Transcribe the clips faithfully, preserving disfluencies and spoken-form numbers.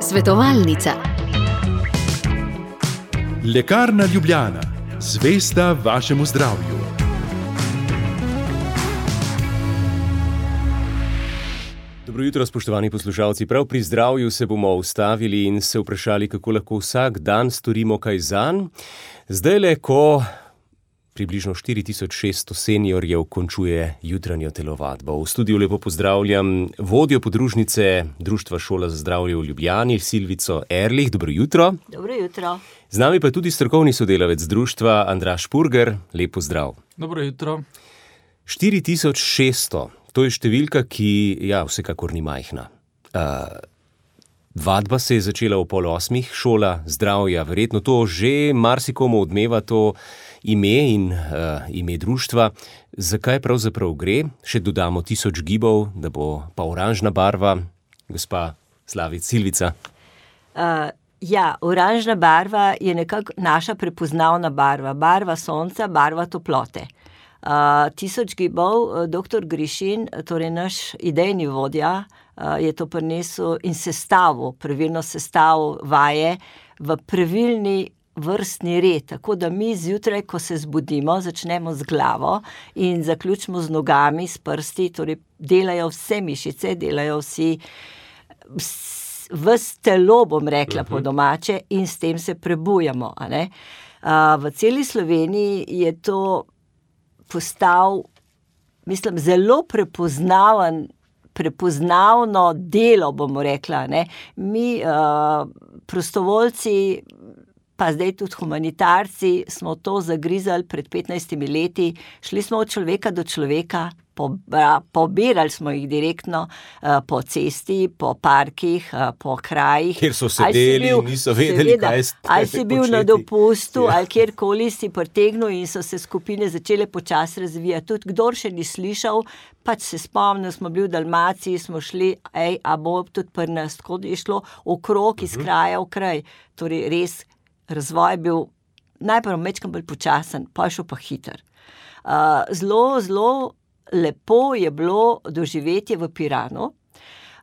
Svetovalnica. Lekarna Ljubljana, zvesta vašemu zdravju. Dobro jutro, spoštovani poslušalci. Prav pri zdravju se bomo ustavili in se vprašali, kako lahko vsak dan storimo kaj zanj. Zdajle, ko približno štiri tisoč šeststo seniorjev končuje jutranjo telovadbo. V studiu lepo pozdravljam vodjo podružnice Društva Šola za zdravje v Ljubljani, Silvico Erlih. Dobro jutro. Dobro jutro. Z nami pa je tudi strokovni sodelavec društva Andraž Purger. Lep pozdrav. Dobro jutro. štiri tisoč šeststo. To je številka, ki, ja, vsekakor ni majhna. Uh, vadba se je začela v pol osmih, šola zdravja, verjetno to že marsikomu odmeva to ime in uh, ime društva. Zakaj pravzaprav gre? Še dodamo tisoč gibov, da bo pa oranžna barva. Gospa Slavic, Silvica. Uh, ja, oranžna barva je nekako naša prepoznavna barva. Barva sonca, barva toplote. Uh, tisoč gibov, doktor Grišin, torej naš idejni vodja, uh, je to prinesel in sestavil, pravilno sestavil vaje v pravilni vrstni red, tako da mi zjutraj, ko se zbudimo, začnemo z glavo in zaključimo z nogami, s prsti, torej delajo vse mišice, delajo vsi, ves telo, bom rekla uh-huh. po domače, in s tem se prebujamo. A ne? Uh, v celi Sloveniji je to postal, mislim, zelo prepoznaven, prepoznavno delo, bomo rekla, ne. Mi, uh, prostovoljci, pa zdaj tudi humanitarci, smo to zagrizali pred petnajstimi leti, šli smo od človeka do človeka, pobirali smo jih direktno uh, po cesti, po parkih, uh, po krajih. Kjer so sedeli in niso vedeli, seveda, kaj ste ali si bil početi. na dopustu, Ja. ali kjerkoli si pritegnil in so se skupine začele počasi razvijati. Tudi kdor še ni slišal, pač se spomnil, smo bili v Dalmaciji, smo šli, ej, a bo tudi pri nas, tako je šlo okrog iz kraja v kraj. Torej res razvoj je bil najprej mečkam bolj počasen, pa je šel pa hiter. Uh, zelo, zelo lepo je bilo doživetje v Piranu.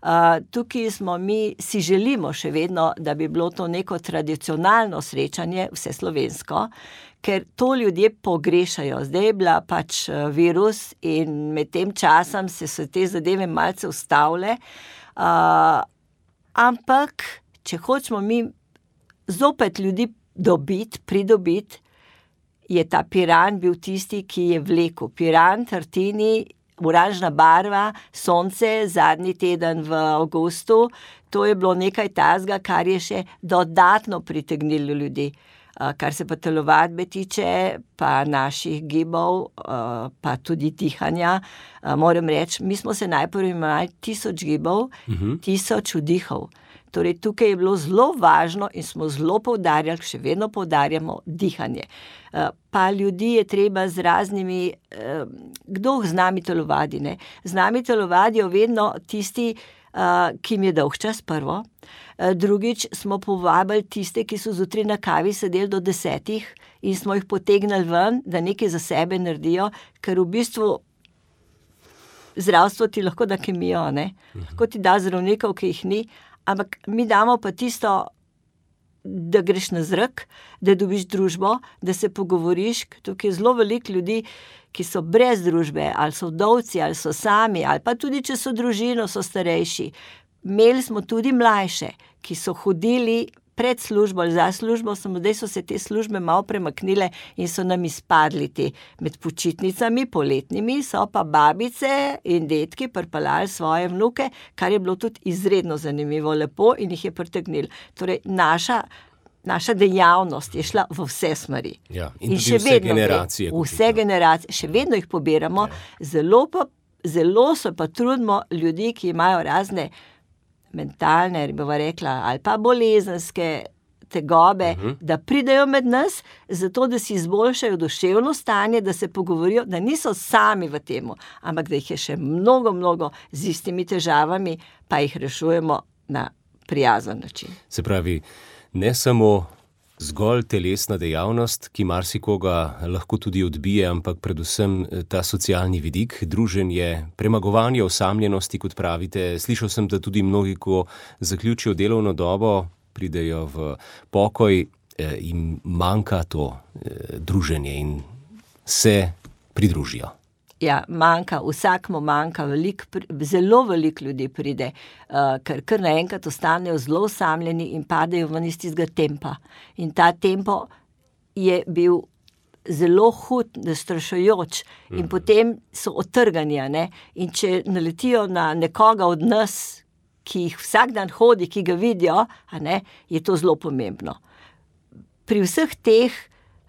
Uh, tukaj smo mi, si želimo še vedno, da bi bilo to neko tradicionalno srečanje, vse slovensko, ker to ljudje pogrešajo. Zdaj je bila pač virus in med tem časom se so te zadeve malce ustavile. Uh, ampak, če hočemo mi zopet ljudi dobiti, pridobiti, je ta Piran bil tisti, ki je vlekel. Piran, Tartini, oranžna barva, sonce, zadnji teden v avgustu, to je bilo nekaj tazga, kar je še dodatno pritegnilo ljudi. Kar se pa telovadbe tiče, pa naših gibov, pa tudi dihanja, moram reči, mi smo se najprej imeli tisoč gibov, uh-huh. tisoč vdihov. Torej, tukaj je bilo zelo važno in smo zelo poudarjali, še vedno poudarjamo dihanje. Pa ljudi je treba z raznimi, kdo z nami telovadi, ne? Z nami telovadijo vedno tisti, ki jim je dolg čas prvo. Drugič smo povabili tiste, ki so zjutraj na kavi sedeli do desetih in smo jih potegnili ven, da nekaj za sebe naredijo, ker v bistvu zdravstvo ti lahko da kemijo, ne? Lahko ti da zdravnikov, ki jih ni, ampak mi damo pa tisto, da greš na zrak, da dobiš družbo, da se pogovoriš. Tukaj je zelo veliko ljudi, ki so brez družbe, ali so vdovci, ali so sami, ali pa tudi, če so družino, so starejši. Imeli smo tudi mlajše, ki so hodili pred službo ali za službo, samo zdaj so se te službe malo premaknile in so nam izpadli te med počitnicami, poletnimi, so pa babice in detki pripeljali svoje vnuke, kar je bilo tudi izredno zanimivo, lepo in jih je pritegnilo. Torej, naša Naša dejavnost je šla v vse smeri. Ja, in, in še vse vedno generacije. Gre, vse generacije, še vedno jih pobiramo, ja. zelo, pa, zelo se pa trudimo ljudi, ki imajo razne mentalne, bova rekla, ali pa bolezenske tegobe, uh-huh. da pridejo med nas, zato da si izboljšajo duševno stanje, da se pogovorijo, da niso sami v temu, ampak da jih je še mnogo, mnogo z istimi težavami, pa jih rešujemo na prijazen način. Se pravi, ne samo zgolj telesna dejavnost, ki marsikoga lahko tudi odbije, ampak predvsem ta socialni vidik, druženje, premagovanje osamljenosti, kot pravite. Slišal sem, da tudi mnogi, ko zaključijo delovno dobo, pridejo v pokoj, jim manjka to druženje in se pridružijo. Ja, manjka, vsakmu manjka, velik, zelo veliko ljudi pride, uh, ker kar naenkrat ostanejo zelo osamljeni in padejo ven iz tistega tempa. In ta tempo je bil zelo hud, zastrašujoč in mm. potem so otrgani, ne? In če naletijo na nekoga od nas, ki jih vsak dan hodi, ki ga vidijo, a ne, je to zelo pomembno. Pri vseh teh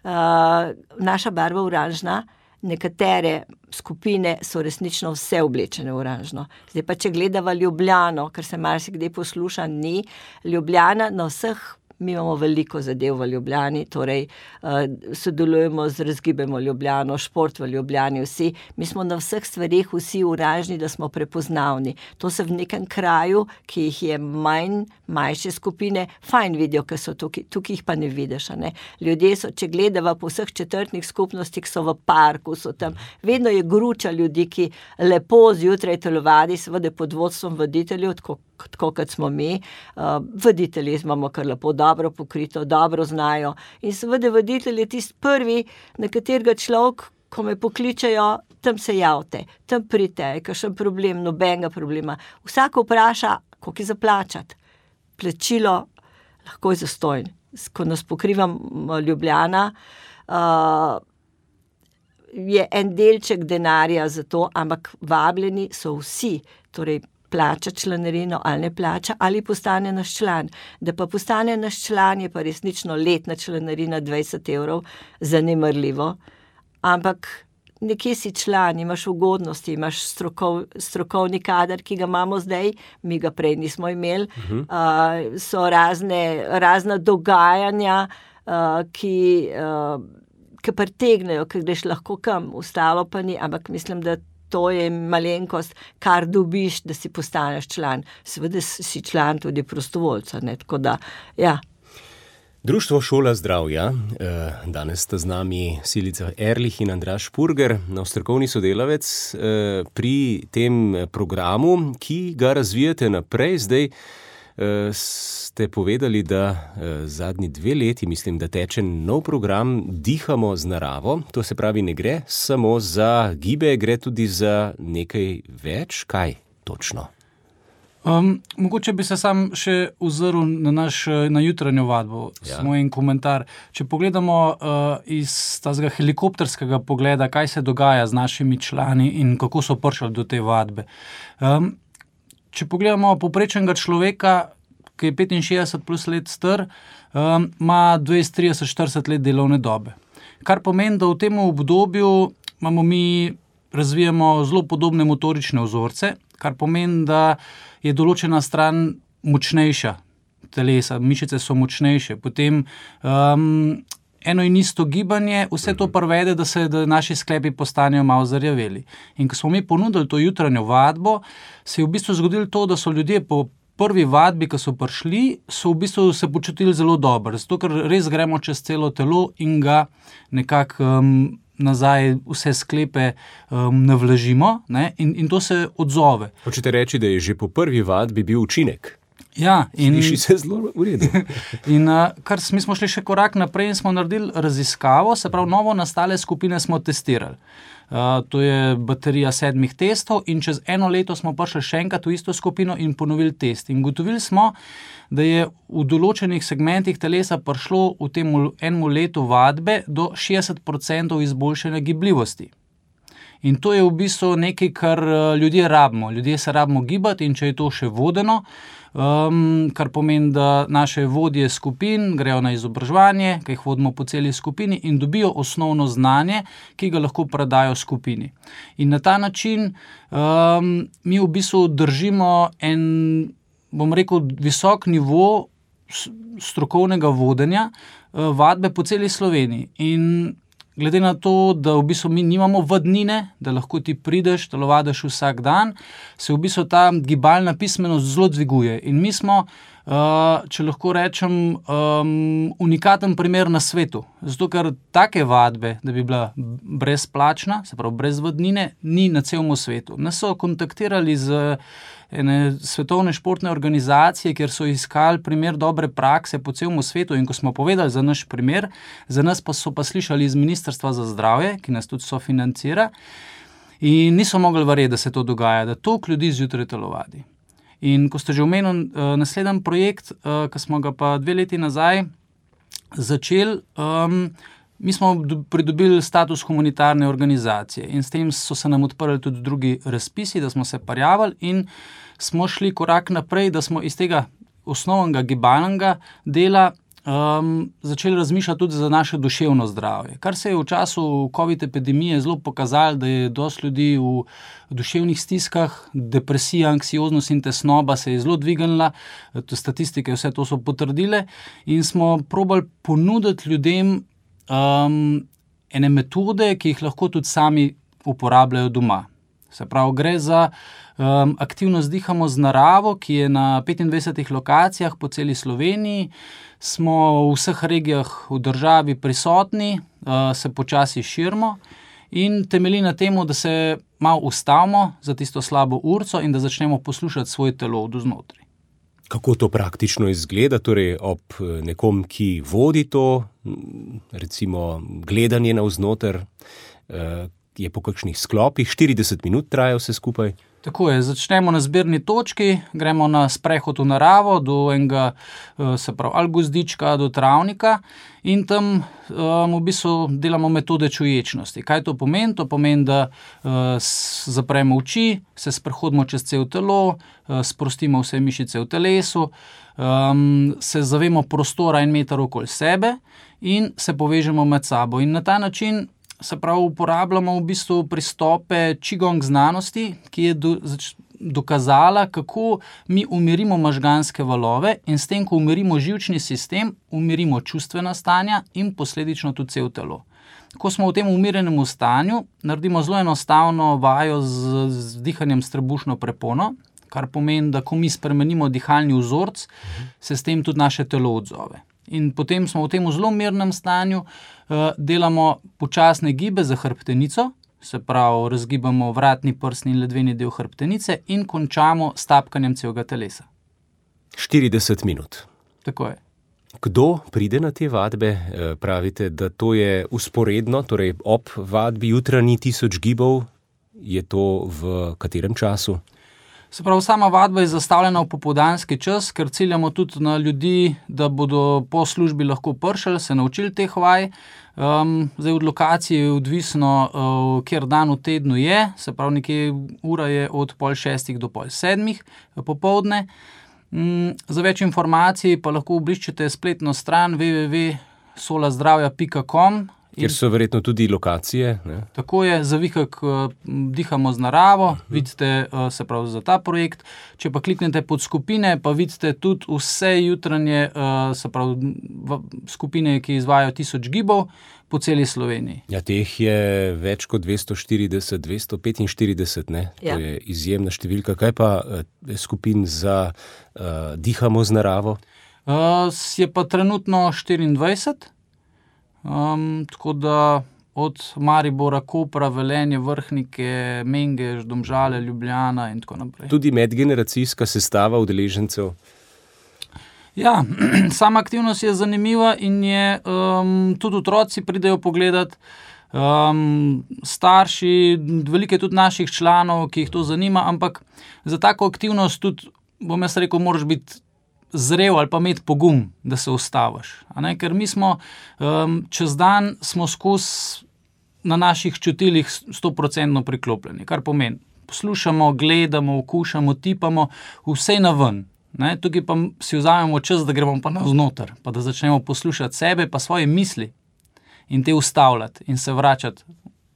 uh, naša barva oranžna, nekatere skupine so resnično vse oblečene v oranžno. Zdaj pa, če gledava Ljubljano, ker se marsikdaj posluša, ni Ljubljana na vseh. Mi imamo veliko zadev v Ljubljani, torej uh, sodelujemo z Razgibajmo Ljubljano, Šport v Ljubljani, vsi. Mi smo na vseh stvareh vsi oranžni, da smo prepoznavni. To se v nekem kraju, ki jih je manj, manjše skupine, fajn vidijo, ker so tukaj, tukaj jih pa ne vidiš. Ne? Ljudje so, če gledava po vseh četrtnih skupnostih, so v parku, so tam. Vedno je gruča ljudi, ki lepo zjutraj telovadi, seveda pod vodstvom voditeljev, tako, tako kot smo mi. Uh, voditelji imamo kar lepo dobro pokrito, dobro znajo. In seveda voditelj je tisti prvi, na katerega človek, ko me pokličajo, tam se javite, tam pridite, je kakšen problem, nobenega problema. Vsak vpraša, koliko je za plačati. Plačilo lahko je zastojn. Ko nas pokrivam Ljubljana, uh, je en delček denarja za to, ampak vabljeni so vsi, torej plača članarino ali ne plača, ali postane naš član. Da pa postane naš član, je pa resnično letna članarina dvajset evrov, zanemarljivo. Ampak nekje si član, imaš ugodnosti, imaš strokov, strokovni kader, ki ga imamo zdaj, mi ga prej nismo imeli. Uh-huh. Uh, so razne, razna dogajanja, uh, ki, uh, ki pritegnejo, ki greš lahko kam, ostalo pa ni, ampak mislim, da to je malenkost, kar dobiš, da si postaneš član. Seveda si član tudi prostovoljca, ne, tako da, ja. Društvo Šola zdravja, danes sta z nami Silica Erlich in Andraž Purger, no, strokovni sodelavec pri tem programu, ki ga razvijate naprej. Zdaj ste povedali, da zadnji dve leti, mislim, da teče nov program Dihamo z naravo. To se pravi, ne gre samo za gibe, gre tudi za nekaj več. Kaj točno? Um, mogoče bi se sam še ozrl na naš, na jutranjo vadbo, ja. Samo en komentar. Če pogledamo uh, iz tazga helikopterskega pogleda, kaj se dogaja z našimi člani in kako so prišli do te vadbe. Um, Če pogledamo povprečnega človeka, ki je petinšestdeset plus let star, um, ima dvajset, trideset, štirideset let delovne dobe. Kar pomeni, da v tem obdobju imamo mi, razvijamo zelo podobne motorične vzorce, kar pomeni, da je določena stran močnejša telesa, mišice so močnejše. Potem um, eno in isto gibanje, vse to privede, da se da naši sklepi postanejo malo zarjaveli. In ko smo mi ponudili to jutranjo vadbo, se je v bistvu zgodilo to, da so ljudje po prvi vadbi, ko so prišli, so v bistvu se počutili zelo dobro, zato ker res gremo čez celo telo in ga nekako um, nazaj vse sklepe um, navlažimo, ne? In, in to se odzove. Hočete reči, da je že po prvi vadbi bil učinek? Ja, in sliši se zelo v redu. In uh, kar mi smo šli še korak naprej in smo naredili raziskavo, se pravi, novo nastale skupine smo testirali. Uh, to je baterija sedmih testov in čez eno leto smo prišli še enkrat v isto skupino in ponovili test. In ugotovili smo, da je v določenih segmentih telesa prišlo v tem enemu letu vadbe do šestdeset procentov izboljšanja gibljivosti. In to je v bistvu nekaj, kar ljudje rabimo. Ljudje se rabimo gibati in če je to še vodeno, um, kar pomeni, da naše vodje skupin grejo na izobraževanje, ki jih vodimo po celi skupini in dobijo osnovno znanje, ki ga lahko predajo skupini. In na ta način um, mi v bistvu držimo en, bom rekel, visok nivo strokovnega vodenja uh, vadbe po celi Sloveniji. In glede na to, da v bistvu mi nimamo vadnine, da lahko ti prideš, telovadiš vsak dan, se v bistvu ta gibalna pismenost zelo dviguje. In mi smo uh, če lahko rečem, um, unikaten primer na svetu. Zato, ker take vadbe, da bi bila brezplačna, se pravi brez vadnine, ni na celem svetu. Nas so kontaktirali z ene svetovne športne organizacije, kjer so iskali primer dobre prakse po celem svetu, in ko smo povedali za naš primer, za nas pa so pa slišali iz Ministrstva za zdravje, ki nas tudi sofinancira, in niso mogli verjeti, da se to dogaja, da toliko ljudi zjutraj telovadi. In ko ste že omenili uh, naslednji projekt, uh, ki smo ga pa dve leti nazaj začeli, um, mi smo pridobili status humanitarne organizacije in s tem so se nam odprli tudi drugi razpisi, da smo se prijavili in smo šli korak naprej, da smo iz tega osnovnega gibalnega dela um, začeli razmišljati tudi za naše duševno zdravje. Kar se je v času COVID epidemije zelo pokazalo, da je dosti ljudi v duševnih stiskah, depresija, anksioznost in tesnoba se je zelo dvignila, statistike vse to so potrdile in smo probali ponuditi ljudem Um, ene metode, ki jih lahko tudi sami uporabljajo doma. Se pravi, gre za um, aktivnost Dihamo z naravo, ki je na petindvajsetih lokacijah po celi Sloveniji. Smo v vseh regijah v državi prisotni, uh, se počasi širimo in temelji na temu, da se malo ustavimo za tisto slabo urco in da začnemo poslušati svoj telo od znotraj. Kako to praktično izgleda, torej ob nekom, ki vodi to, recimo gledanje navznoter, je po kakšnih sklopih, štirideset minut traja vse skupaj? Tako je, začnemo na zbirni točki, gremo na sprehod v naravo, do enega, se pravi, ali gozdička, do travnika in tam um, v bistvu delamo metode čuječnosti. Kaj to pomeni? To pomeni, da uh, zapremo oči, se sprehodimo čez cel telo, uh, sprostimo vse mišice v telesu, um, se zavemo prostora in meter okoli sebe in se povežemo med sabo. In na ta način se pravi, uporabljamo v bistvu pristope Qigong znanosti, ki je do, zač, dokazala, kako mi umirimo možganske valove in s tem, ko umirimo živčni sistem, umirimo čustvena stanja in posledično tudi cel telo. Ko smo v tem umirjenem stanju, naredimo zelo enostavno vajo z, z dihanjem s trebušno prepono, kar pomeni, da ko mi spremenimo dihalni vzorc, se s tem tudi naše telo odzove. In potem smo v tem zelo mirnem stanju, uh, delamo počasne gibe za hrbtenico, se pravi, razgibamo vratni, prsni in ledveni del hrbtenice in končamo s tapkanjem celega telesa. štirideset minut. Tako je. Kdo pride na te vadbe? Pravite, da to je usporedno, torej ob vadbi jutranji tisoč gibov, je to v katerem času? Se pravi, sama vadba je zastavljena v popoldanski čas, ker ciljamo tudi na ljudi, da bodo po službi lahko pršali, se naučili teh vaj. Um, zdaj od lokacije je odvisno, uh, kjer dan v tednu je, se pravi, nekje ura je od pol šestih do pol sedmih popoldne. Um, za več informacij pa lahko obiščete spletno stran w w w pika sola zdravja pika com. Kjer so verjetno tudi lokacije. Ne? Tako je, za vihek uh, Dihamo z naravo, uh-huh. vidite uh, se pravi za ta projekt. Če pa kliknete pod skupine, pa vidite tudi vse jutranje uh, se pravi v, skupine, ki izvajajo tisoč gibov po celi Sloveniji. Ja, teh je več kot dvesto štirideset, dvesto petinštirideset, ne? Ja. To je izjemna številka. Kaj pa uh, skupin za uh, Dihamo z naravo? Uh, je pa trenutno štiriindvajset. Um, tako da od Maribora, Kopra, Velenje, Vrhnike, Mengeš, Domžale, Ljubljana in tako naprej. Tudi medgeneracijska sestava udeležencev? Ja, sama aktivnost je zanimiva in je, um, tudi otroci pridejo pogledat, um, starši, veliko je tudi naših članov, ki jih to zanima, ampak za tako aktivnost tudi, bom jaz rekel, moraš biti zrel ali pa imeti pogum, da se ustaviš. A ne? Ker mi smo um, čez dan smo skozi na naših čutilih sto procentno priklopljeni, kar pomeni, poslušamo, gledamo, okušamo, tipamo, vse na ven. Ne? Tukaj pa si vzamemo čas, da gremo pa navznoter, pa da začnemo poslušati sebe, pa svoje misli in te ustavljati in se vračati,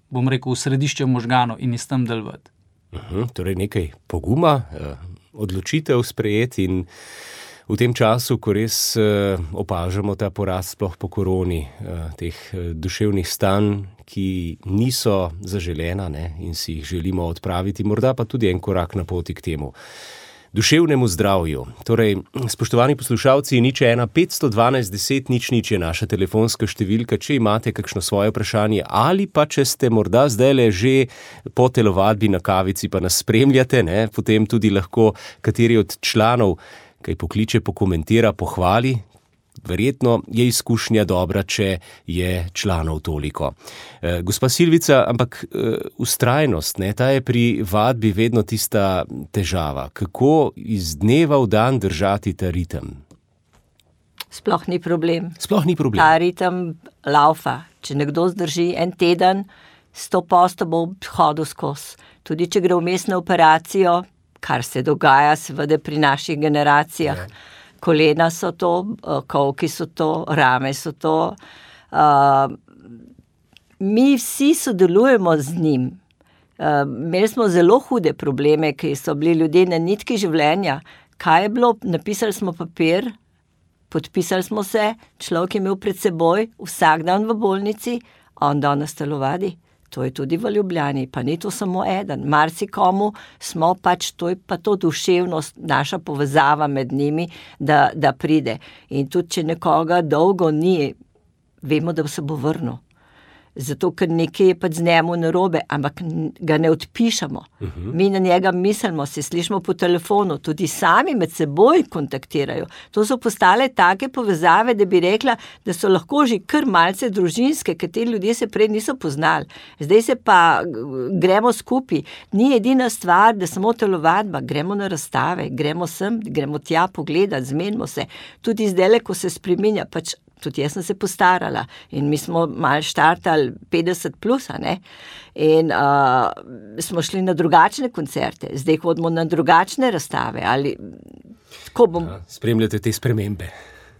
bom rekel, v središče možganov in iz tam delovati. Uh-huh, torej nekaj poguma, odločitev sprejeti in v tem času, ko res uh, opažamo ta porast sploh po koroni, uh, teh uh, duševnih stanj, ki niso zaželena, ne, in si jih želimo odpraviti, morda pa tudi en korak na poti k temu. duševnemu zdravju. Torej, spoštovani poslušalci, nič ena petsto dvanajst deset nič nič je naša telefonska številka, če imate kakšno svoje vprašanje ali pa če ste morda zdajle že po telovadbi na kavici pa nas spremljate, ne, potem tudi lahko kateri od članov kaj pokliče, pokomentira, pohvali. Verjetno je izkušnja dobra, če je članov toliko. E, gospa Silvica, ampak e, vztrajnost, ne, ta je pri vadbi vedno tista težava. Kako iz dneva v dan držati ta ritem? Sploh ni problem. Sploh ni problem. Ta ritem laufa. Če nekdo zdrži en teden, sto posto bo hodil skozi. Tudi če gre vmes na operacijo, kar se dogaja seveda pri naših generacijah. Ja. Kolena so to, kolki so to, rame so to. Uh, mi vsi sodelujemo z njim. Uh, imeli smo zelo hude probleme, ki so bili ljudje na nitki življenja. Kaj je bilo? Napisali smo papir, podpisali smo se, človek je imel pred seboj vsak dan v bolnici, on danes telovadi. To je tudi v Ljubljani, pa ni to samo eden. Marsikomu smo pač, to je pa to duševnost, naša povezava med njimi, da, da pride. In tudi, če nekoga dolgo ni, vemo, da se bo vrnil. Zato, ker nekaj je pač z njemu narobe, ampak ga ne odpišemo. Uh-huh. Mi na njega mislimo, se slišimo po telefonu, tudi sami med seboj kontaktirajo. To so postale take povezave, da bi rekla, da so lahko že kar malce družinske, ker te ljudje se prej niso poznali. Zdaj se pa gremo skupaj. Ni edina stvar, da samo telovadba, gremo na razstave, gremo sem, gremo tja pogledati, zmenimo se. Tudi zdajle, ko se spreminja, pač tudi jaz sem se postarala in mi smo malo štartali petdeset plus, a ne? In uh, smo šli na drugačne koncerte, zdaj hodimo na drugačne razstave. Ali, ko bom... ja, spremljate te spremembe.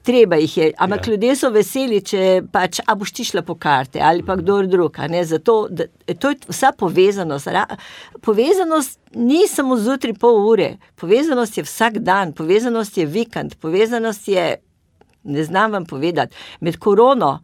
Treba jih je, ampak ja. Ljudje so veseli, če pač, a boš ti šla po karte ali pa kdo drug, a ne, zato, da, to je vsa povezanost. Ra, povezanost ni samo zjutraj pol ure, povezanost je vsak dan, povezanost je vikend, povezanost je, ne znam vam povedati, med korono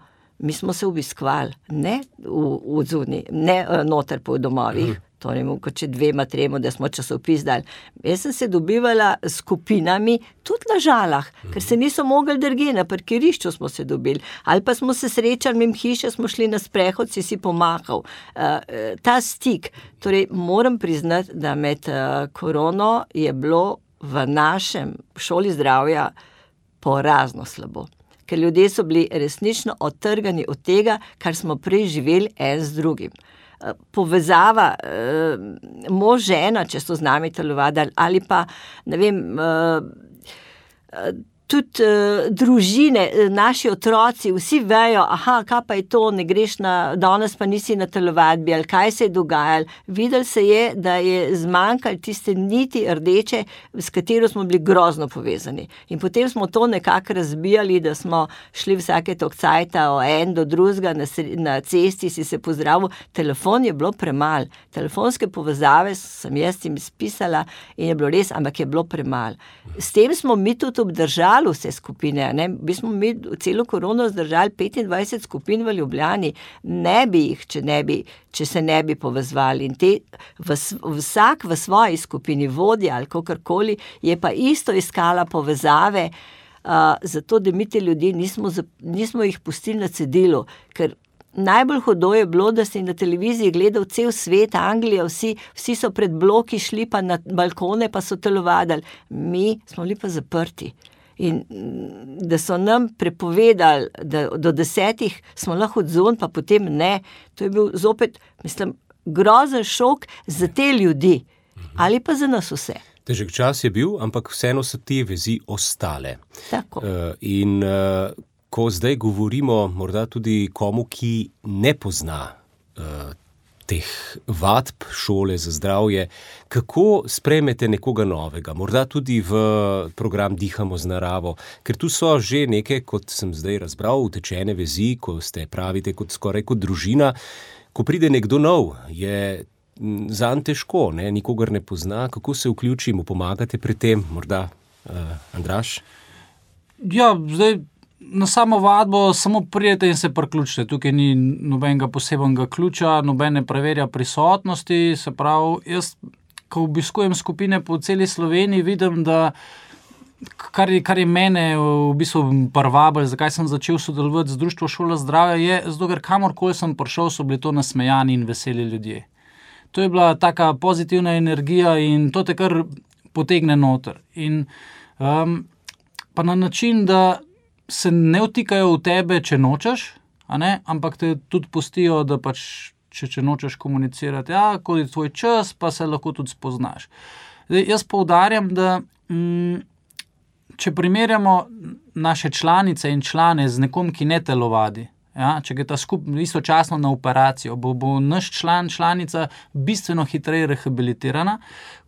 mi smo se obiskovali, ne v, v zuni, ne noter po domovih, mm. to ne mogo, če dvema tremo, da smo časopis dali. Jaz sem se dobivala s skupinami tudi na Žalah, mm. ker se niso mogli drugje, na parkirišču smo se dobili, ali pa smo se srečali, mimo hiše smo šli na sprehod, si si pomahal. Uh, ta stik, torej moram priznati, da med uh, korono je bilo v našem šoli zdravja porazno slabo, ker ljudje so bili resnično odtrgani od tega, kar smo prej živeli en z drugim. Povezava, mož, žena, če so z nami telovadili, ali pa, ne vem, tudi uh, družine, naši otroci, vsi vejo, aha, kaj pa je to, ne greš na, danes pa nisi na telovadbi, ali kaj se je dogajalo. Videli se je, da je zmanjkalo tiste niti rdeče, s katero smo bili grozno povezani. In potem smo to nekako razbijali, da smo šli vsake tok cajta o en do drugega, na, na cesti si se pozdravil. Telefon je bilo premal. Telefonske povezave sem jaz jim spisala in je bilo res, ampak je bilo premal. S tem smo mi tudi obdržali vse skupine, ne? Mi smo mi celo korono zdržali petindvajset skupin v Ljubljani, ne bi jih, če, ne bi, če se ne bi povezvali. In te, v, vsak v svoji skupini vodja ali kakorkoli je pa isto iskala povezave, uh, zato da mi te ljudi nismo, nismo jih pustili na cedilu, ker najbolj hudo je bilo, da si na televiziji gledal cel svet, Anglija, vsi, vsi so pred bloki šli pa na balkone pa so telovadili. Mi smo bili pa zaprti. In da so nam prepovedali, da do desetih smo lahko odzon, pa potem ne. To je bil zopet, mislim, grozen šok za te ljudi. Ali pa za nas vse. Težek čas je bil, ampak vseeno so te vezi ostale. Tako. Uh, in uh, ko zdaj govorimo morda tudi komu, ki ne pozna uh, teh vadb šole za zdravje, kako sprejmete nekoga novega, morda tudi v program Dihamo z naravo, ker tu so že neke, kot sem zdaj razbral, utečene vezi, ko ste pravite kot skoraj kot družina. Ko pride nekdo nov, je zanj težko, ne? Nikogar ne pozna, kako se vključi, mu pomagate pri tem, morda uh, Andraž? Ja, zdaj na samo vadbo samo prijete in se priključite. Tukaj ni nobenega posebnega ključa, noben ne preverja prisotnosti, se pravi, jaz ko obiskujem skupine po celi Sloveniji, vidim, da kar je, kar je mene v bistvu privabilo, zakaj sem začel sodelovati z Društvom Šola zdravja, je zato, ker kamorkoli sem prišel, so bili to nasmejani in veseli ljudje. To je bila taka pozitivna energija in to te kar potegne noter. In um, pa na način, da se ne vtikajo v tebe, če nočeš, a ne, ampak te tudi pustijo, da pač, če, če nočeš komunicirati, ja, ko je tvoj čas, pa se lahko tudi spoznaš. Zdaj, jaz poudarjam, da mm, če primerjamo naše članice in člane z nekom, ki ne telovadi, ja, če gre ta skupaj istočasno na operacijo, bo, bo naš član, članica bistveno hitreje rehabilitirana,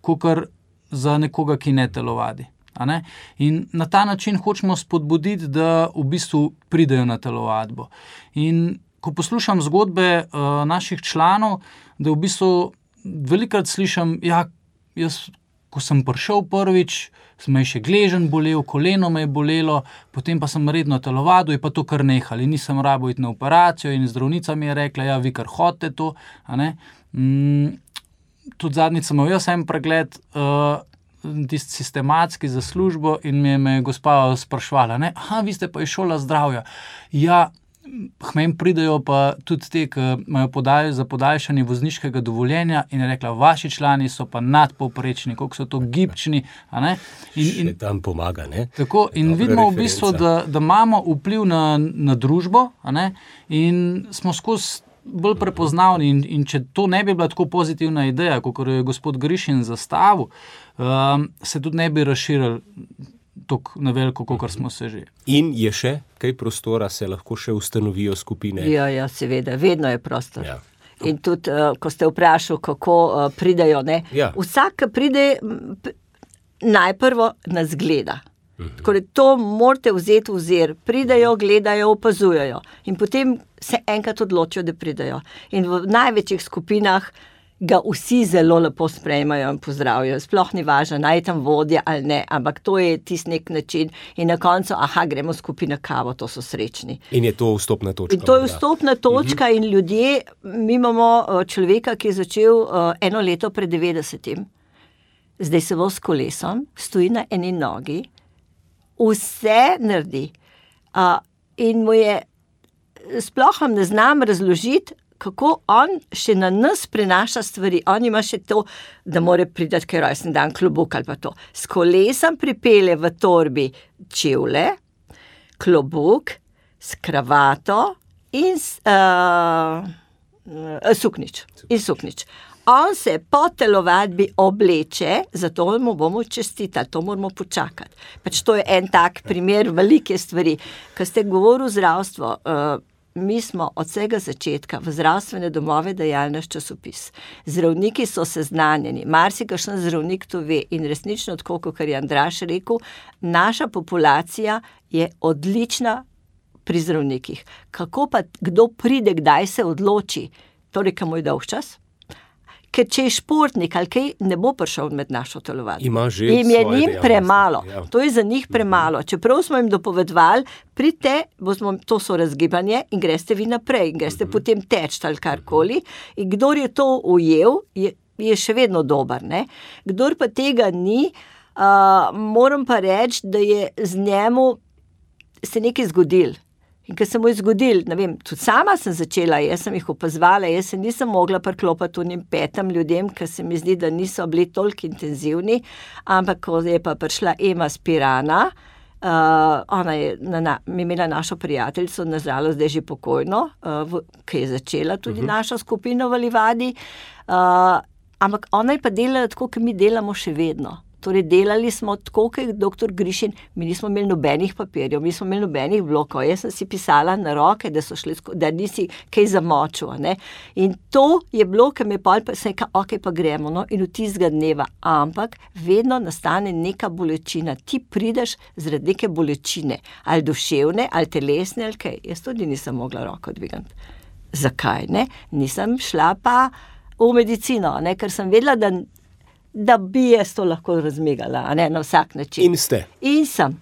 kakor za nekoga, ki ne telovadi. A ne? In na ta način hočemo spodbuditi, da v bistvu pridejo na telovadbo. In ko poslušam zgodbe uh, naših članov, da v bistvu velikokrat slišim, ja, jaz, ko sem prišel prvič, sem še gležen bolel, koleno me je bolelo, potem pa sem redno telovadil, je pa to kar nehali. Nisem rabil iti na operacijo in zdravnica mi je rekla, ja, vi kar hodite to. A ne? Mm, tudi zadnjič sem imel jaz en pregled, uh, tisti sistematski za službo in me je me gospa sprašvala, ne, aha, vi ste pa iz Šola zdravja. Ja, k meni pridejo pa tudi te, ki imajo podaj, za podaljšanje vozniškega dovoljenja in je rekla, vaši člani so pa nadpovprečni, koliko so to gibčni, a ne. In, in, še tam pomaga, ne? Tako, in Dobra vidimo referenca. v bistvu, da, da imamo vpliv na, na družbo, a ne, in smo skozi bolj prepoznavni in, in če to ne bi bila tako pozitivna ideja, kot je gospod Grišin zastavil, um, se tudi ne bi razširili tako na veliko, kot smo se že. In je še kaj prostora, se lahko še ustanovijo skupine? Ja, ja, seveda, vedno je prostor. Ja. In tudi, uh, ko ste vprašali, kako uh, pridejo, ne? Ja. Vsak, ki pride, p- najprvo nas gleda. Tako da to morate vzeti v zir. Pridejo, gledajo, opazujejo. In potem se enkrat odločijo, da pridejo. In v največjih skupinah ga vsi zelo lepo sprejmajo in pozdravijo. Sploh ni važno, naj tam vodja ali ne, ampak to je tisti nek način. In na koncu, aha, gremo skupina kavo, to so srečni. In je to vstopna točka? In to je vstopna točka uh-huh. In ljudje, mi imamo človeka, ki je začel uh, eno leto pred devetdesetim. Zdaj se vozi s kolesom, stoji na eni nogi, vse naredi. Uh, in mu je, sploh vam ne znam razložiti, kako on še na nas prenaša stvari. On ima še to, da mora priti, ker rojsten dan klobuk ali pa to. S kolesom pripelje v torbi čevlje, klobuk, s kravato in s, uh, uh, suknič. In suknič. On se po telovadbi obleče, zato mu bomo čestitali, to moramo počakati. Pač to je en tak primer velike stvari. Ko ste govorili o zdravstvu, uh, mi smo od vsega začetka v zdravstvene domove dajali naš časopis. Zdravniki so seznanjeni, marsikakšen zdravnik to ve in resnično tako, kot je Andraž rekel, naša populacija je odlična pri zdravnikih. Kako pa kdo pride, kdaj se odloči, torej kam je dolg čas? Ker če je športnik ali kaj, ne bo prišel med našo telovadbo. Ima že Im je svoje njim dejavnosti, premalo. ja. To je za njih premalo. Čeprav smo jim dopovedovali, pridite, bomo, to so razgibanje in greste vi naprej, in greste uh-huh. potem teč ali karkoli. In kdor je to ujel, je, je še vedno dober. Ne? Kdor pa tega ni, uh, moram pa reči, da je z njemu se nekaj zgodil. In ko se mu je zgodil, ne vem, tudi sama sem začela, jaz sem jih opazovala, jaz se nisem mogla priklopiti unim petam ljudem, ker se mi zdi, da niso bili toliko intenzivni, ampak ko je pa prišla Ema Spirana, uh, ona je na, na, imela našo prijateljico, nažalost zdaj že pokojno, uh, v, ki je začela tudi uh-huh. našo skupino v Livadi, uh, ampak ona je pa delala tako, kot mi delamo še vedno. Torej, delali smo tako, kot je doktor Grišin, mi nismo imeli nobenih papirjev, mi smo imeli nobenih blokov, jaz sem si pisala na roke, da so šli, da nisi kaj zamočil, ne. In to je bilo, ker me pol pa se je, ok, pa gremo, no, in v tistega dneva, ampak vedno nastane neka bolečina, ti prideš zaradi neke bolečine, ali duševne, ali telesne, ali kaj, jaz tudi nisem mogla roko dvigati. Zakaj, ne? Nisem šla pa v medicino, ne, ker sem vedela, da da bi jaz to lahko razmigala, a ne, na vsak način. In ste. In sem.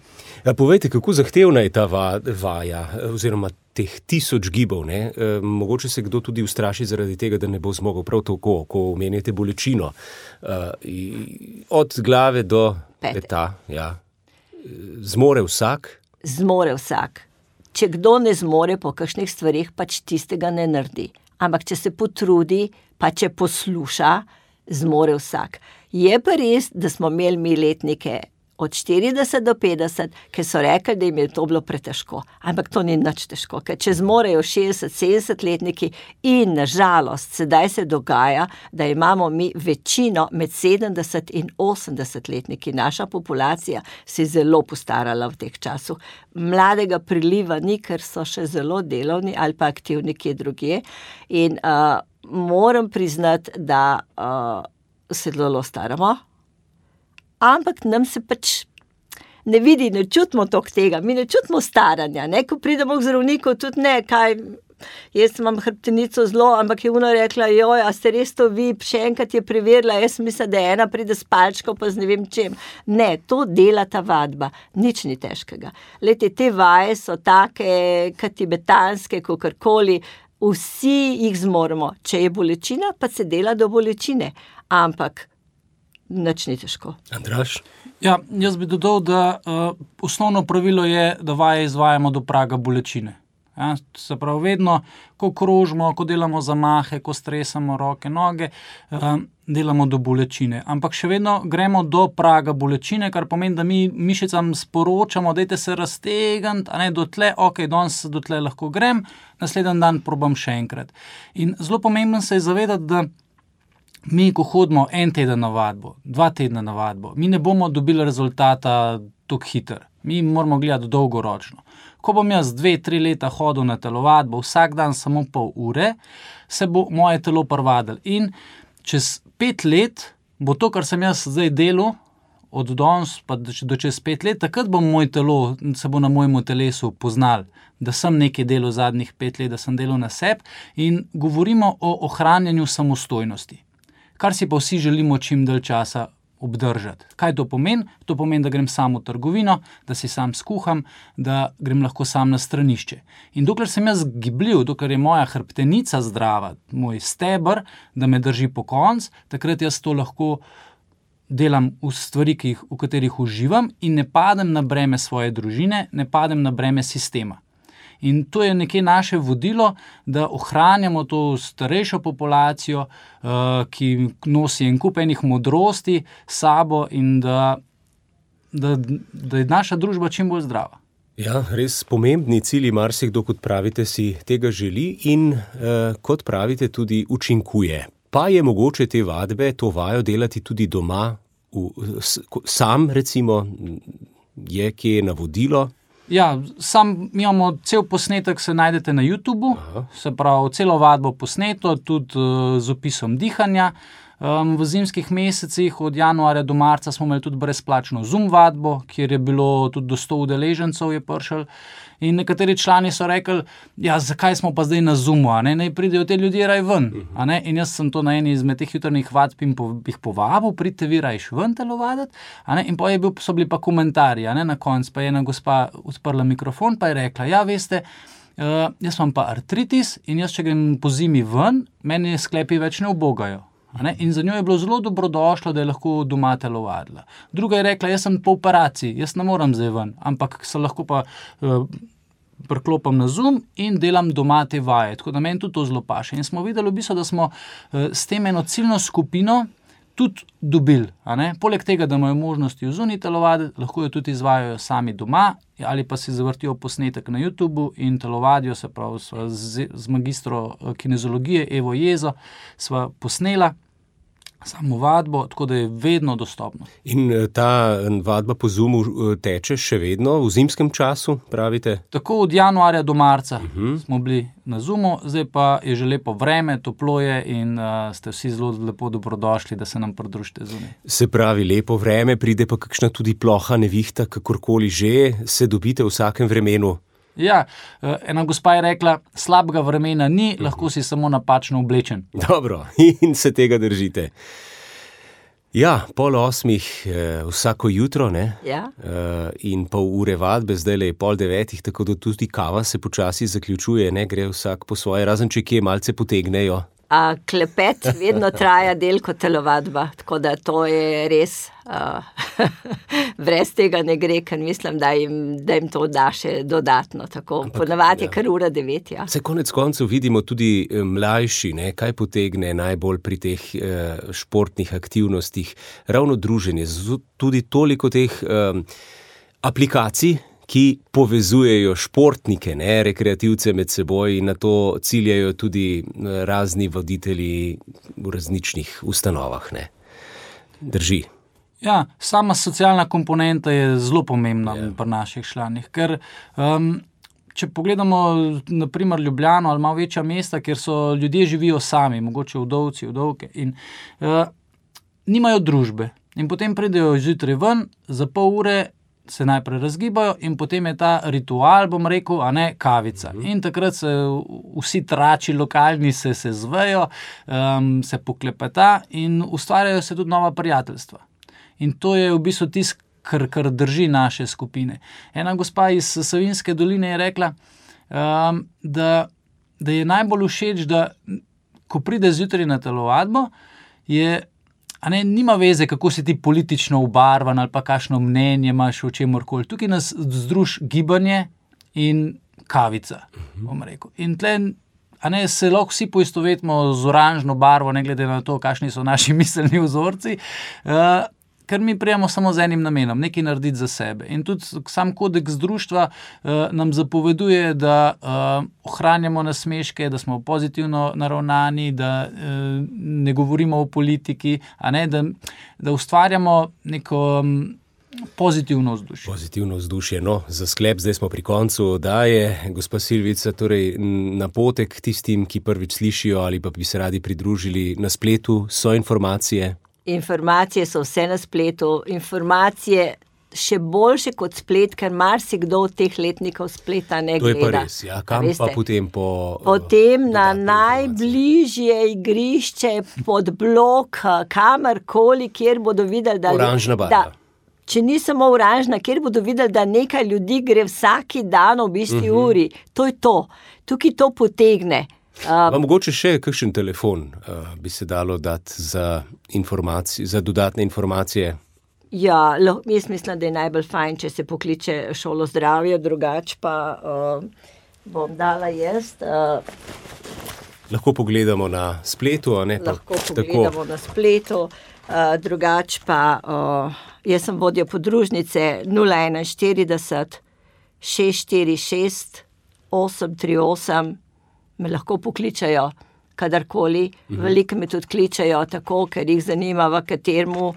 Ja, povejte, kako zahtevna je ta va, vaja, oziroma teh tisoč gibov, ne? E, mogoče se kdo tudi ustraši zaradi tega, da ne bo zmogel prav tako, ko omenjate bolečino. E, od glave do Pete. peta, ja. Zmore vsak? Zmore vsak. Če kdo ne zmore po kakšnih stvarih, pač tistega ne naredi. Ampak če se potrudi, pa če posluša, zmore vsak. Je pa res, da smo imeli mi letnike od štirideset do petdeset, ki so rekli, da jim je to bilo pretežko. Ampak to ni nič težko, ker če zmorejo šestdeset sedemdeset letniki in na žalost sedaj se dogaja, da imamo mi večino med sedemdeset in osemdeset letniki. Naša populacija se je zelo postarala v teh času. Mladega priliva ni, ker so še zelo delovni ali pa aktivni kje drugje. In uh, moram priznati, da uh, se zelo staramo. Ampak nam se pač ne vidi, ne čutimo toliko tega, mi ne čutimo staranja, ne, ko pridemo k zdravniku, tudi ne, kaj, jaz imam hrbtenico zelo, ampak je ona rekla, joj, a ste res to vi, še enkrat je preverila, jaz mislim, da ena pride s palčko, pa z ne vem čem. Ne, to dela ta vadba, nič ni težkega. Lejte, te vaje so take, kot tibetanske, kakorkoli, vsi jih zmoremo, če je bolečina, pa se dela do bolečine, ampak nič ni težko. Andraž? Ja, jaz bi dodal, da uh, osnovno pravilo je, da vaje izvajamo do praga bolečine. Ja, se pravi, vedno, ko krožimo, ko delamo zamahe, ko stresamo roke, noge, uh, delamo do bolečine. Ampak še vedno gremo do praga bolečine, kar pomeni, da mi mišicam sporočamo, dajte se raztegniti, a ne dotle, ok, danes dotle lahko grem, naslednji dan probam še enkrat. In zelo pomembno se je zavedati, da mi, ko hodimo en teden na vadbo, dva tedna na vadbo, mi ne bomo dobili rezultata tako hiter. Mi moramo gledati dolgoročno. Ko bom jaz dve, tri leta hodil na telovadbo, vsak dan samo pol ure, se bo moje telo prvadilo. In čez pet let bo to, kar sem jaz zdaj delal, od danes pa do čez pet let, takrat bo moj telo, se bo na mojemu telesu poznal, da sem nekaj delal zadnjih pet let, da sem delal na sebi in govorimo o ohranjanju samostojnosti. Kar si pa vsi želimo čim dalj časa obdržati. Kaj to pomeni? To pomeni, da grem sam v trgovino, da si sam skuham, da grem lahko sam na stranišče. In dokler sem jaz gibljiv, dokler je moja hrbtenica zdrava, moj steber, da me drži po konc, takrat jaz to lahko delam v stvari, ki jih, v katerih uživam in ne padem na breme svoje družine, ne padem na breme sistema. In to je nekje naše vodilo, da ohranjamo to starejšo populacijo, uh, ki nosi en kup enih modrosti s sabo in da, da, da je naša družba čim bolj zdrava. Ja, res pomembni cilji, marsikdo, kot pravite, si tega želi in, uh, kot pravite, tudi učinkuje. Pa je mogoče te vadbe, to vajo delati tudi doma, v, s, sam recimo, je kje navodilo? Ja, sam imamo cel posnetek, se najdete na YouTubu, Aha. se pravi, celo vadbo posneto, tudi uh, z opisom dihanja. Um, v zimskih mesecih od januarja do marca smo imeli tudi brezplačno Zoom vadbo, kjer je bilo tudi do sto udeležencev je prišel. In nekateri člani so rekli, ja, zakaj smo pa zdaj na Zoomu, a ne, naj pridejo te ljudje raj ven. A ne? In jaz sem to na eni izmed teh jutrnih vadb in po, jih povabil, pridite vi rajš ven telovaditi, a ne, in pa je bil, so bili pa komentarji, a ne, na koncu pa je ena gospa odprla mikrofon, pa je rekla, ja, veste, uh, jaz imam pa artritis in jaz, če grem po zimi ven, meni sklepi več ne ubogajo. In za njo je bilo zelo dobrodošlo, da je lahko doma telovadila. Druga je rekla, jaz sem po operaciji, jaz ne moram zdaj ven, ampak se lahko pa uh, priklopam na Zoom in delam doma te vaje. Tako da meni tudi to zelo paše. In smo videli v bistvu, da smo uh, s tem eno ciljno skupino tudi dobili. A ne? Poleg tega, da imajo možnosti v zunaj telovaditi, lahko jo tudi izvajajo sami doma ali pa si zavrtijo posnetek na YouTubu in telovadijo, se pravi, sva z, z magistro kinezologije Evo Jezo sva posnela samo vadbo, tako da je vedno dostopno. In ta vadba po Zoomu teče še vedno v zimskem času, pravite? Tako od januarja do marca uh-huh. smo bili na Zoomu, zdaj pa je že lepo vreme, toplo je in uh, ste vsi zelo lepo dobrodošli, da se nam pridružite zunaj. Se pravi, lepo vreme, pride pa kakšna tudi ploha nevihta, kakorkoli že, se dobite v vsakem vremenu? Ja, ena gospa je rekla, slabega vremena ni, lahko si samo napačno oblečen. Dobro, in se tega držite. Ja, pol osmih eh, vsako jutro, ne? Ja. Eh, in pol ure vadbe, zdaj je pol devetih, tako da tudi kava se počasi zaključuje, ne? Gre vsak po svoje, razen če kje malce potegnejo. A, klepet vedno traja del kot telovadba, tako da to je res, uh, brez tega ne gre, ker mislim, da jim, da jim to da še dodatno, tako ponavadi je kar ura devet, ja. Se konec koncev vidimo tudi mlajši, ne, kaj potegne najbolj pri teh eh, športnih aktivnostih, ravno druženje, tudi toliko teh eh, aplikacij, ki povezujejo športnike, ne, rekreativce med seboj in na to ciljajo tudi razni voditelji v različnih ustanovah, ne. Drži. Ja, sama socialna komponenta je zelo pomembna ja. pri naših članih, ker um, če pogledamo na primer Ljubljano ali malo večja mesta, kjer so ljudje živijo sami, mogoče vdovci, vdovke in uh, nimajo družbe in potem pridejo zjutraj ven, za pol ure se najprej razgibajo in potem je ta ritual, bom rekel, a ne, kavica. In takrat se vsi trači lokalni se, se zvejo, um, se poklepeta in ustvarjajo se tudi nova prijateljstva. In to je v bistvu tisto, kar, kar drži naše skupine. Ena gospa iz Savinjske doline je rekla, um, da, da je najbolj všeč, da ko pride zjutraj na telovadbo, je A ne, nima veze, kako si ti politično obarvan ali pa kakšno mnenje imaš o čemorkoli. Tukaj nas združ gibanje in kavica, bom rekel. In tle, a ne, se lahko vsi poistovetimo z oranžno barvo, ne glede na to, kakšni so naši miselni vzorci, uh, ker mi prijemo samo z enim namenom, nekaj narediti za sebe. In tudi sam kodeks društva uh, nam zapoveduje, da uh, ohranjamo nasmeške, da smo pozitivno naravnani, da uh, ne govorimo o politiki, a ne, da, da ustvarjamo neko um, pozitivno vzdušje. Pozitivno vzdušje. No, za sklep zdaj smo pri koncu oddaje. Gospa Silvica, torej napotek tistim, ki prvič slišijo ali pa bi se radi pridružili na spletu, so informacije. Informacije so vse na spletu, informacije še boljše kot splet, ker marsikdo od teh letnikov spleta ne gleda. To je pa res, ja. Kam pa potem po... Potem na najbližje igrišče, pod blok, kamarkoli, kjer bodo videli, da... Oranžna barva. Da, če ni samo oranžna, kjer bodo videli, da nekaj ljudi gre vsaki dan ob isti uh-huh. uri. To je to. Tukaj to potegne. Uh, pa mogoče še kakšen telefon uh, bi se dalo dati za, za dodatne informacije? Ja, lo, jaz mislim, da je najbolj fajn, če se pokliče šolo zdravja, drugač pa uh, bom dala jaz. Uh, lahko pogledamo na spletu, a ne? Lahko pogledamo tako. Na spletu, uh, drugač pa uh, jaz sem vodja podružnice nula enainštirideset šest štiri šest osem tri osem. Me lahko pokličajo kadarkoli, mhm. veliko me tudi kličajo tako, ker jih zanima, v kateremu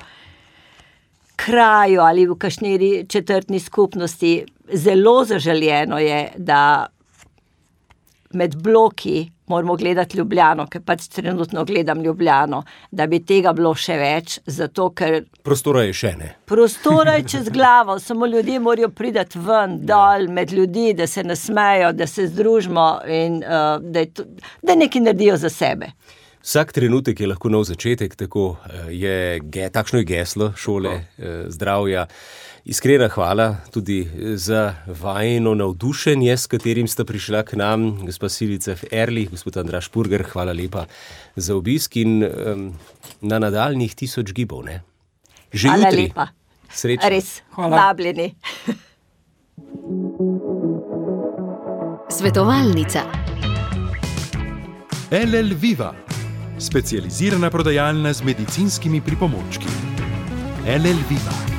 kraju ali v kakšni četrtni skupnosti. Zelo zaželjeno je, da med bloki moramo gledati Ljubljano, ker pač trenutno gledam Ljubljano, da bi tega bilo še več, zato ker... Prostora je še, ne? Prostora je čez glavo, samo ljudje morajo priti ven, dol, med ljudi, da se nasmejo, da se združimo in uh, da, je to, da nekaj naredijo za sebe. Vsak trenutek je lahko nov začetek, tako je, takšno je geslo šole zdravja. Iskrena hvala tudi za vajino navdušenje, s katerim sta prišla k nam, gospa Silvica Erlich, gospod Andraž Purger, hvala lepa za obisk in um, na nadaljnjih tisoč gibov, ne? Že hvala jutri. Lepa. Srečno. Res, vabljeni. Svetovalnica. L L Viva, specializirana prodajalna z medicinskimi pripomočki. L L Viva.